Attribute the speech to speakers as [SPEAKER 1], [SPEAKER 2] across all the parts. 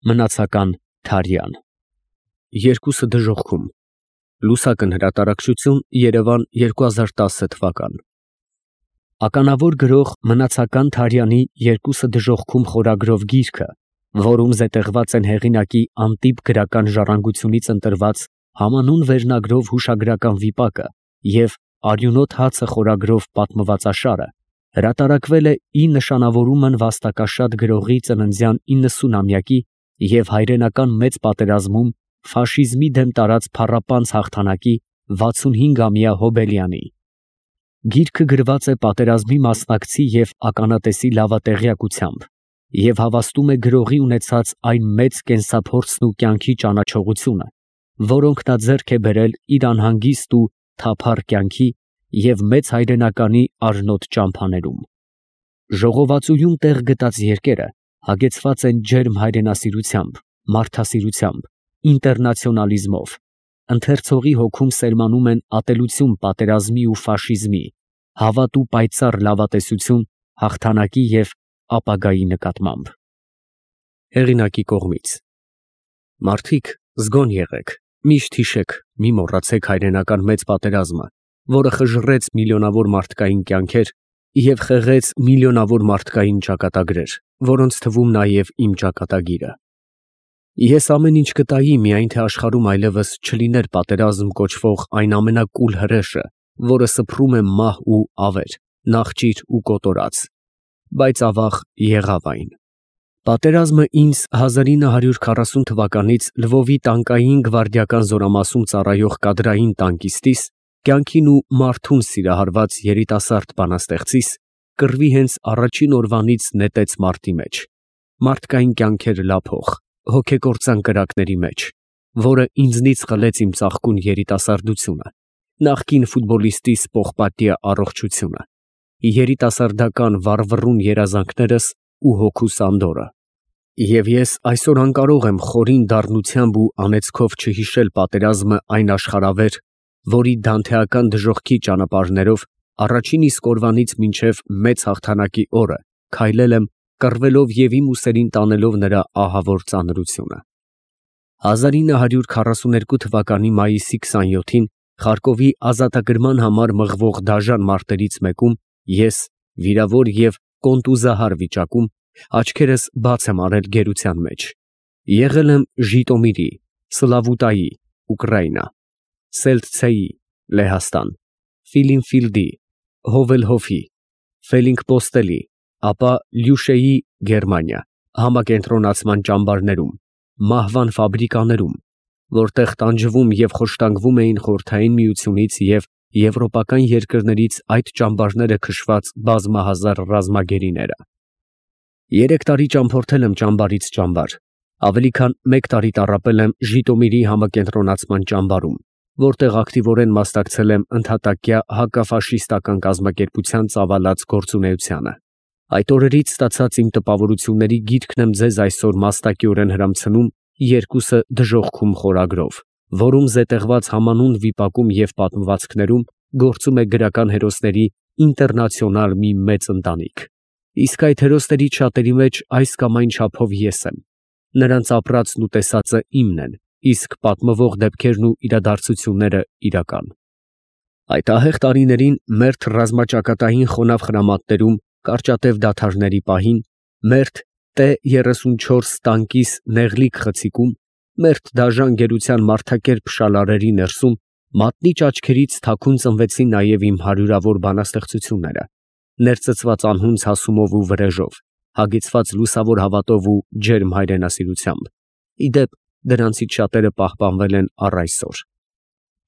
[SPEAKER 1] Մնացական Թարյան։ Երկուսը դժոխքում։ Լուսակն հրատարակչություն, Երևան 2010 թվական։ Ականավոր գրող Մնացական Թարյանի «Երկուսը դժոխքում» խորագրով գիրքը, որում զետեղված են հեղինակի անտիպ գրական ժառանգությունից ընտրված համանուն վերնագրով հուշագրական վիպակը և «Արյունոտ հացը» խորագրով պատմվածաշարը, հրատարակվել է ի նշանավորումն վաստակաշատ գրողի ծննդյան 90-ամյակի և հայրենական մեծ պատերազմում ֆաշիզմի դեմ տարած փառապանծ հաղթանակի 65-ամյա հոբելյանի։ Գիրքը գրված է պատերազմի մասնակցի և ականատեսի լավատեղյակությամբ և հավաստում է գրողի ունեցած այն մեծ կենսափորձն ու կյանքի ճանաչողությունը, որոնք նա ձեռք է բերել իր անհանգիստ ու թափառ կյանքի և մեծ հայրենականի արնոտ ճամփաներում։ Ժողովածուում տեղ գտած երկերը հագեցված են ջերմ հայրենասիրությամբ, մարդասիրությամբ, ինտերնացիոնալիզմով, ընթերցողի հոգում սերմանում են ատելություն պատերազմի ու ֆաշիզմի, հավատ ու պայծառ լավատեսություն հաղթանակի և ապագայի նկատմամբ։ Հեղինակի կողմից։ Մարդիկ, զգոն եղեք, միշտ հիշեք, մի մոռացեք հայրենական մեծ պատերազմը, որը խժռեց միլիոնավոր մարդկային կյանքեր և խեղեց միլիոնավոր մարդկային ճակատագրեր, որոնց թվում նաև իմ ճակատագիրը։ Ես ամեն ինչ կտայի, միայն թե աշխարհում այլևս չլիներ պատերազմ կոչվող այն ամենակուլ հրեշը, որը սփռում է մահ ու ավեր, նախճիր ու կոտորած, բայց ավաղ եղավ այն։ Պատերազմը ինձ 1940 թվականից Լվովի տանկային գվարդիական զորամասում ծառայող կադրային տանկիստիս, կյանքին ու մարդուն սիրահարված երիտասարդ բանաստեղծիս, կռվի հենց առաջին օրվանից նետեց մարտի մեջ, մարդկային կյանքեր լափող, հոգեկործան կրակների մեջ, որը ինձնից խլեց իմ ծաղկուն երիտասարդությունը, նախկին ֆուտբոլիստիս պողպատյա առողջությունը, երիտասարդական վառվռուն երազանքներս ու հոգուս անդորրը։ Եվ ես այսօր անկարող եմ խորին դառնությամբ ու անեծքով չհիշել պատերազմը այն աշխարհավեր, որի դանթեական դժոխքի ճանապարհներով առաջին իսկ օրվանից մինչև մեծ հաղթանակի օրը քայլել եմ, կռվելով և իմ ուսերին տանելով նրա ահավոր ծանրությունը։ 1942 թվականի մայիսի 27-ին Խարկովի ազատագրման համար մղվող դաժան մարտերից մեկում ես, վիրավոր և կոնտուզահար վիճակում, աչքերս բաց եմ արել գերության մեջ։ Եղել եմ Ժիտոմիրի, Սլավուտայի, Ուկրաինա, Սելցցեի, Լեհաստան, Ֆիլինֆիլդի, Հովելհոֆի, Ֆելինկպոստելի, ապա Լյուշեի, Գերմանիա, համակենտրոնացման ճամբարներում, մահվան ֆաբրիկաներում, որտեղ տանջվում և խոշտանգվում էին Խորհրդային Միությունից և եվրոպական երկրներից այդ ճամբարները քշված բազմահազար ռազմագերիները։ 3 տարի ճամփորդել եմ ճամբարից ճամբար, ավելի քան 1 տարի տառապել եմ Ժիտոմիրի համակենտրոնացման ճամբարում, որտեղ ակտիվորեն մասնակցել եմ ընդհատակյա հակաֆաշիստական կազմակերպության ծավալած գործունեությանը։ Այդ օրերից ստացած իմ տպավորությունների գիրքն եմ ձեզ այսօր մաստակիորեն հրամցնում «Երկուսը դժոխքում» խորագրով, որում զետեղված համանուն վիպակում և պատմվածքներում գործում է գրական հերոսների ինտերնացիոնալ մի մեծ ընտանիք։ Իսկ այդ հերոսներից շատերի մեջ այս կամ այն չափով ես եմ։ Նրանց ապրածն ու տեսածը իմն են, իսկ պատմվող դեպքերն ու իրադարձությունները իրական։ Այդ ահեղ տարիներին մերթ ռազմաճակատային խոնավ խրամատներում կարճատև դադարների պահին, մերթ T-34 տանկիս նեղլիկ խցիկում, մերթ դաժան գերության մարդակերպ շալարերի ներսում մատնիչ աչքերից թաքուն ծնվեցին նաև իմ հարյուրավոր բանաստեղծությունները, ներծծված անհունձ հասումով ու վրեժով, հագեցված լուսավոր հավատով ու ջերմ հայրենասիրությամբ։ Ի դեպ, դրանցից շատերը պահպանվել են առ այսօր։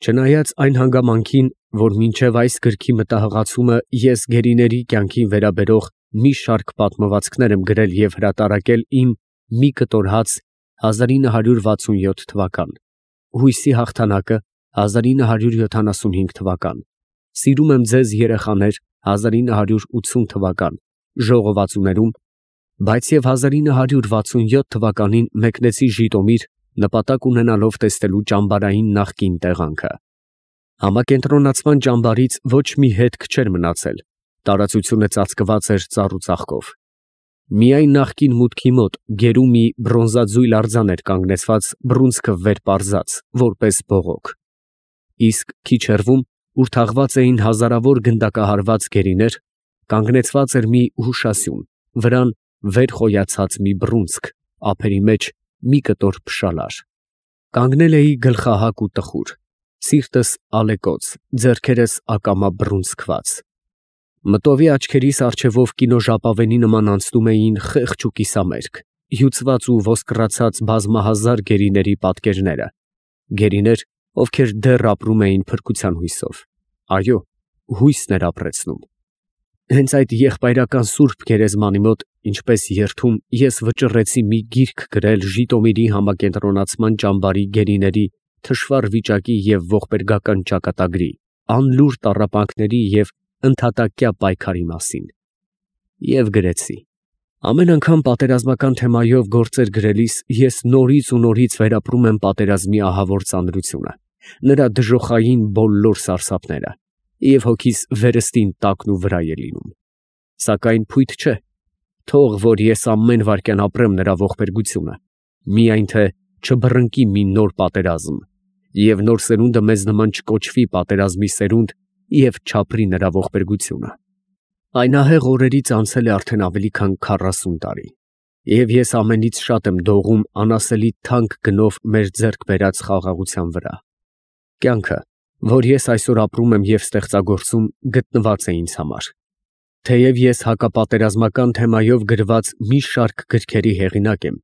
[SPEAKER 1] Չնայած այն հանգամանքին, որ մինչև այս գրքի մտահղացումը ես գերիների կյանքին վերաբերող մի շարք պատմվածքներ եմ գրել և հրատարակել իմ «Մի կտոր հաց» 1967 թվական, «Հույսի հաղթանակը» 1975 թվական, «Սիրում եմ ձեզ երեխաներ» 1980 թվական ժողովածուներում, բայց և 1967 թվականին մեկնեցի Ժիտոմիր նպատակ ունենալով տեսնելու ճամբարային նախկին տեղանքը։ Համակենտրոնացման ճամբարից ոչ մի հետք չէր մնացել, տարածությունը ծածկված էր ծառ ու ծաղկով։ Միայն նախկին մուտքի մոտ գերու մի բրոնզաձույլ արձան էր կանգնեցված բռունցքը վեր պարզած, որպես բողոք, իսկ քիչ հեռվում, ուր թաղված էին հազարավոր գնդակահարված գերիներ, կանգնեցված էր մի հուշասյուն, վրան վեր խոյացած մի բռունցք, ափերի մեջ մի կտոր փշալար։ Կանգնել էի գլխահակ ու տխուր, սիրտս ալեկոծ, ձեռքերս ակամա բռունցքված։ Մտովի աչքերիս առջևով կինոժապավենի նման անցնում էին խեղճ ու կիսամերկ, հյուծված ու ոսկռացած բազմահազար գերիների պատկերները, գերիներ, ովքեր դեռ ապրում էին փրկության հույսով, այո, հույսն էր ապրեցնում։ Հենց այդ եղբայրական սուրբ գերեզմանի մոտ, ինչպես երթում, ես վճռեցի մի գիրք գրել Ժիտոմիրի համակենտրոնացման ճամբարի գերիների թշվառ վիճակի և ողբերգական ճակատագրի, անլուր տառապանքների և ընդհատակյա պայքարի մասին։ Եվ գրեցի. ամեն անգամ պատերազմական թեմայով գործեր գրելիս ես նորից ու նորից վերապրում եմ պատերազմի ահավոր ծանրությունը, նրա դժոխային բոլոր սարսափները, և հոգիս վերստին տակն ու վրայ է լինում։ Սակայն փույթ չէ, թող որ ես ամեն վայրկյան ապրեմ նրա ողբերգությունը, միայն թե չբռնկի մի նոր պատերազմ, և նոր սերունդը մեզ նման չկոչվի պատերազմի սերունդ և չապրի նրա ողբերգությունը։ Այն ահեղ օրերից անցել է արդեն ավելի քան 40 տարի, և ես ամենից շատ եմ դողում անասելի թանկ գնով մեր ձեռք բերած խաղաղության վրա։ Կյանքը, որ ես այսօր ապրում եմ և ստեղծագործում, գտնված է ինձ համար։ Թեև ես հակապատերազմական թեմայով գրված մի շարք գրքերի հեղինակ եմ,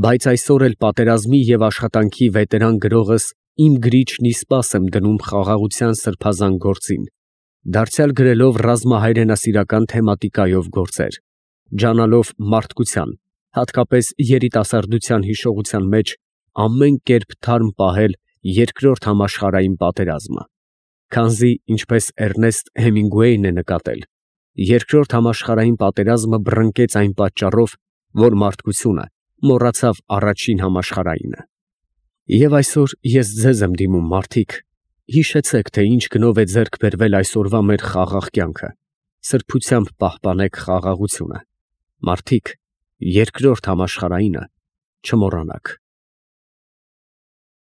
[SPEAKER 1] բայց այսօր էլ պատերազմի և աշխատանքի վետերան գրողս իմ գրիչն ի սպաս եմ դնում խաղաղության սրբազան գործին, դարձյալ գրելով ռազմահայրենասիրական թեմատիկայով գործեր, ջանալով մարդկության, հատկապես երիտասարդության հիշողության մեջ ամեն կերպ թարմ պահել Երկրորդ համաշխարհային պատերազմը, քանզի, ինչպես Էռնեստ Հեմինգուեյն է նկատել, Երկրորդ համաշխարհային պատերազմը բռնկեց այն պատճառով, որ մարդկությունը մոռացավ առաջին համաշխարհայինը։ Եվ այսօր ես ձեզ եմ դիմում, մարդիկ, հիշեցեք, թե ինչ գնով է ձեռք բերվել այսօրվա մեր խաղաղ կյանքը, սրբությամբ պահպանեք խաղաղությունը, մարդիկ, Երկրորդ համաշխարհայինը չմոռանաք։